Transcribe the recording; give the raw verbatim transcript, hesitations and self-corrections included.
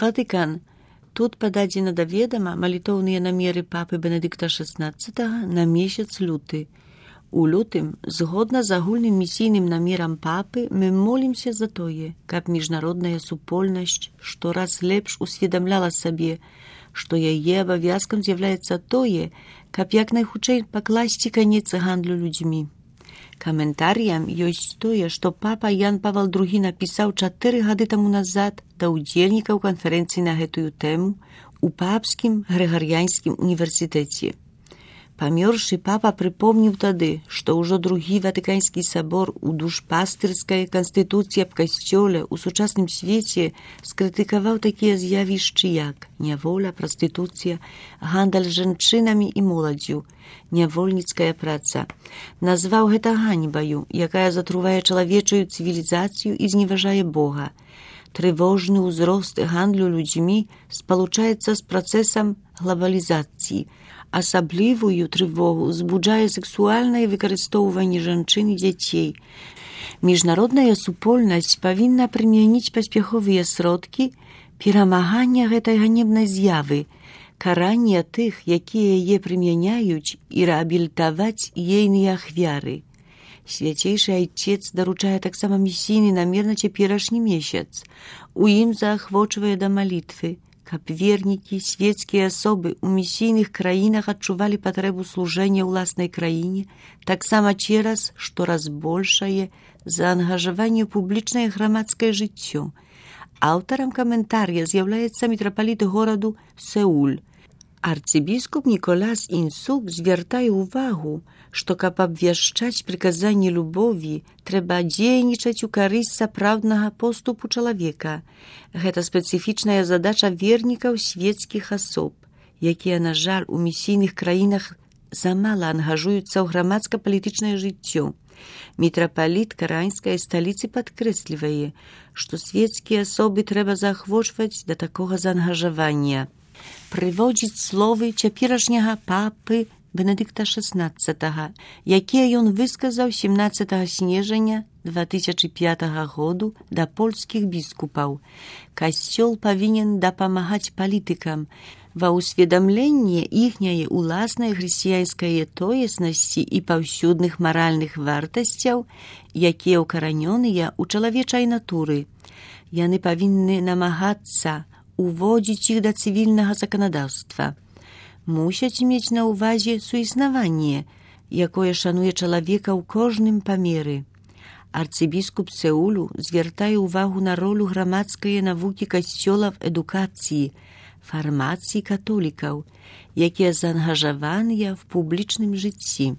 Ватыкан. Тут пададзена да ведама малітоўныя намеры папы Бенедыкта шаснаццатага на месяц люты. У лютым, згодна з агульным місійным намерам папы, мы молімся за тое, каб міжнародная супольнасць штораз лепш усведамляла сабе, што яе абавязкам з'яўляецца тое, каб як найхутчэй пакласці канец гандлю людзьмі. Каментарыям ёсць тое, што папа Ян Павел другі напісаў чатыры гады таму назад да ўдзельнікаў канферэнцыі на гэтую тэму у папскім Грыгарыянскім універсітэце. Памёршы папа прыпомніў тады, што ўжо другі Ватыканскі сабор у душпастырскай канстытуцыі аб касцёле ў сучасным свеце скрытыкаваў такія з'явішчы як няволя, прастытуцыя, гандаль жанчынамі і моладдзю, нявольніцкая праца. Назваў гэта ганьбаю, якая затрувае чалавечую цывілізацыю і зневажае Бога. Трывожны ўзрост гандлю людзьмі спалучаецца з працэсам глабалізацыі. Асаблівую трывогу збуджае сексуальнае выкарыстоўванне жанчын і дзяцей. Міжнародная супольнасць павінна прымяніць паспяховыя сродкі перамагання гэтай ганебнай з'явы, карання тых, якія яе прымяняюць, і рэабілітаваць ейныя ахвяры. Свяцейшы айцец даручае таксама місійны намер на цяперашні месяц. У ім заахвочвае да малітвы, каб вернікі, свецкія асобы ў місійных краінах адчувалі патрэбу служэння ўласнай краіне, таксама цераз штораз большае заангажаванне ў публічнае грамадскае жыццё. Аўтарам каментарыя з'яўляецца мітрапаліт гораду Сеуль. Арцыбіскуп Ніколас Інсук звяртае ўвагу, што каб абвяшчаць прыказанні любові, трэба дзейнічаць у карысць сапраўднага поступу чалавека. Гэта спецыфічная задача вернікаў свецкіх асоб, якія, на жаль, у місійных краінах замала ангажуюцца ў грамадска-палітычнае жыццё. Мітрапаліт караінскай сталіцы падкрэслівае, што свецкія асобы трэба заахвочваць да такога заангажавання. Прыводзіць словы цяперашняга папы Бенедыкта шаснаццатага, якія ён высказаў сямнаццатага снежня две тысячы пятага году да польскіх біскупаў. Касцёл павінен дапамагаць палітыкам ва ўсведамленні іхняе ўласнай хрысціянскай тоеснасці і паўсюдных маральных вартасцяў, якія ўкаранёныя ў чалавечай натуры. Яны павінны намагацца уводзіць іх да цывільнага заканадаўства. Мусяць мець на ўвазе суіснаванне, якое шануе чалавека ў кожным памеры. Арцыбіскуп Сеулю звяртае ўвагу на ролю грамадскай навукі касцёла в адукацыі, фармацыі католікаў, якія заангажаваныя в публічным жыцці.